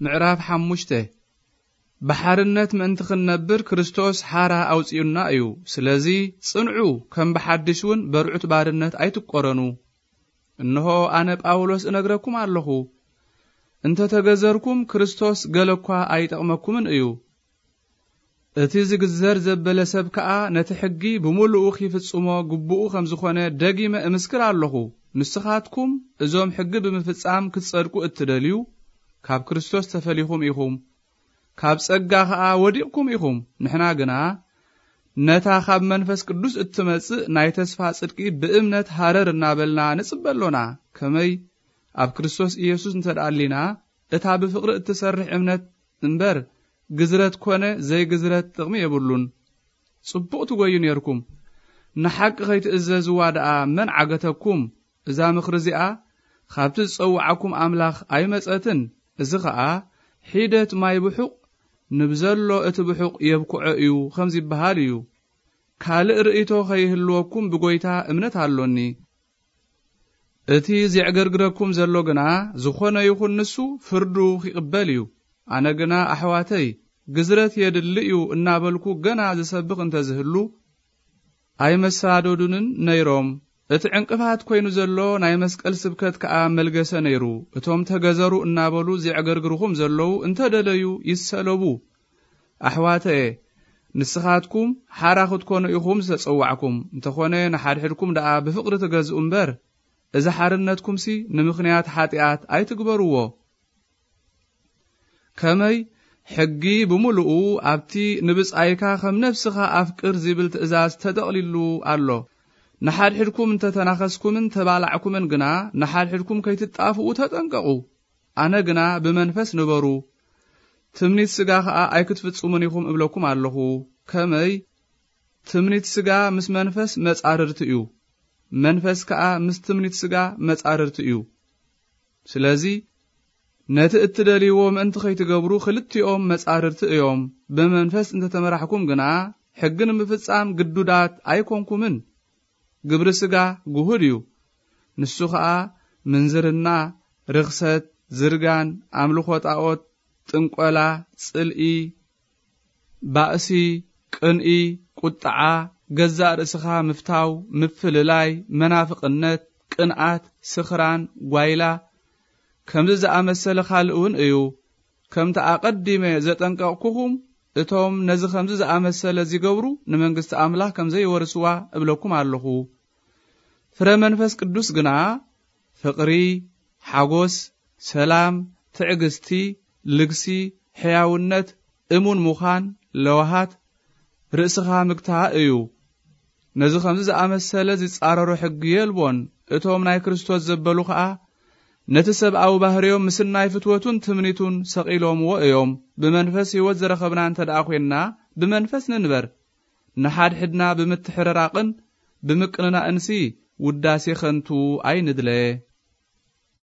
ምዕራፍ ሓሙሽተ። ብሓርነት ምእንቲ ክንነብር ክርስቶስ ሓራ ኣውጺኡና እዩ። ስለዚ ጽንዑ፣ ከም ብሓድሽ እውን በርዑት ባርነት ኣይትቆረኑ። እንሆ ኣነ ጳውሎስ እነግረኩም ኣለኹ፣ እንተ ተገዘርኩም ክርስቶስ ገለ እኳ ኣይጠቕመኩምን እዩ። እቲ ዝግዘር ዘበለ ሰብ ከኣ ነቲ ሕጊ ብምሉኡ ኺፍጽሞ ግቡኡ ከም ዝኾነ ደጊመ እምስክር ኣለኹ። ንስኻትኩም እዞም ሕጊ ብምፍጻም ክትጸድቁ እትደልዩ፣ ካብ ክርስቶስ ተፈሊኹም ኢኹም፣ ካብ ጸጋ ኸኣ ወዲቕኩም ኢኹም። ንሕና ግና ነታ ካብ መንፈስ ቅዱስ እትመጽእ ናይ ተስፋ ጽድቂ ብእምነት ሃረር እናበልና ንጽበ ኣሎና። ከመይ ኣብ ክርስቶስ ኢየሱስ እንተ ደኣ ኣሊና፣ እታ ብፍቕሪ እትሰርሕ እምነት እምበር፣ ግዝረት ኮነ ዘይግዝረት ጥቕሚ የብሉን። ጽቡቕ ትጎዩ ኔርኩም። ንሓቂ ኸይትእዘዝዋ ደኣ መን ዓገተኩም? እዛ ምኽሪ እዚኣ ኻብቲ ዝጸውዓኩም ኣምላኽ ኣይመጸትን። እዚ ኸኣ ሒደት ማይ ብሑቕ ንብዘሎ እቲ ብሑቕ የብክዖ እዩ ኸም ዝበሃል እዩ። ካልእ ርእይቶ ኸይህልወኩም ብጐይታ እምነት ኣሎኒ። እቲ ዜዕገርግረኩም ዘሎ ግና፣ ዝኾነ ይኹን ንሱ ፍርዱ ኺቕበል እዩ። ኣነ ግና፣ ኣሕዋተይ፣ ግዝረት የድሊ እዩ እናበልኩ ገና ዝሰብኽ እንተ ዝህሉ፣ ኣይመሳደዱንን ነይሮም። እቲ ዕንቅፋት ኰይኑ ዘሎ ናይ መስቀል ስብከት ከኣ መልገሰ ነይሩ። እቶም ተገዘሩ እናበሉ ዜዕገርግርኹም ዘለዉ እንተ ደለዩ ይሰለቡ። ኣሕዋተየ፣ ንስኻትኩም ሓራ ክትኮኑ ኢኹም ዝተጸዋዕኩም። እንተኾነ ንሓድሕድኩም ደኣ ብፍቕሪ ትገዝኡ እምበር፣ እዚ ሓርነትኩምሲ ንምኽንያት ሓጢኣት ኣይትግበርዎ። ከመይ ሕጊ ብምሉኡ ኣብቲ ንብጻይካ ከም ነፍስኻ ኣፍቅር ዝብል ትእዛዝ ተጠቕሊሉ ኣሎ። ንሓድሕድኩም እንተ ተናኸስኩምን ተባላዕኩምን ግና ንሓድሕድኩም ከይትጣፍኡ ተጠንቀቑ። ኣነ ግና ብመንፈስ ንበሩ፣ ትምኒት ስጋ ኸኣ ኣይክትፍጽሙን ኢኹም እብለኩም ኣለኹ። ከመይ ትምኒት ስጋ ምስ መንፈስ መጻርርቲ እዩ፣ መንፈስ ከኣ ምስ ትምኒት ስጋ መጻርርቲ እዩ። ስለዚ ነቲ እትደልይዎ ምእንቲ ኸይትገብሩ ክልቲኦም መጻርርቲ እዮም። ብመንፈስ እንተ ተመራሕኩም ግና ሕጊ ንምፍጻም ግዱዳት ኣይኮንኩምን። ግብሪ ስጋ ግሁድ እዩ። ንሱ ኸኣ ምንዝርና፣ ርኽሰት፣ ዝርጋን፣ ኣምልኾ ጣዖት፣ ጥንቆላ፣ ጽልኢ፣ ባእሲ፣ ቅንኢ፣ ቁጥዓ፣ ገዛእ ርእስኻ ምፍታው፣ ምፍልላይ፣ መናፍቕነት፣ ቅንኣት፣ ስኽራን፣ ጓይላ፣ ከምዚ ዝኣመሰለ ካልእ እውን እዩ። ከምቲ ኣቐዲመ ዘጠንቀቕኩኹም፣ እቶም ነዚ ከምዚ ዝኣመሰለ ዚገብሩ ንመንግስቲ ኣምላኽ ከም ዘይወርስዋ እብለኩም ኣለኹ። ፍረ መንፈስ ቅዱስ ግና ፍቕሪ፣ ሓጎስ፣ ሰላም፣ ትዕግስቲ፣ ልግሲ፣ ሕያውነት፣ እሙን ምዃን፣ ለዋሃት፣ ርእስኻ ምግታእ እዩ። ነዚ ከምዚ ዝኣመሰለ ዚጻረሮ ሕጊ የልቦን። እቶም ናይ ክርስቶስ ዘበሉ ኸኣ ነቲ ሰብኣዊ ባህርዮም ምስናይ ፍትወቱን ትምኒቱን ሰቒሎምዎ እዮም። ብመንፈስ ህይወት ዝረኸብና እንተ ደኣ ኾንና፣ ብመንፈስ ንንበር። ንሓድሕድና ብምትሕርራቕን ብምቅንናእንሲ ውዳሴ ኸንቱ ኣይንድለ።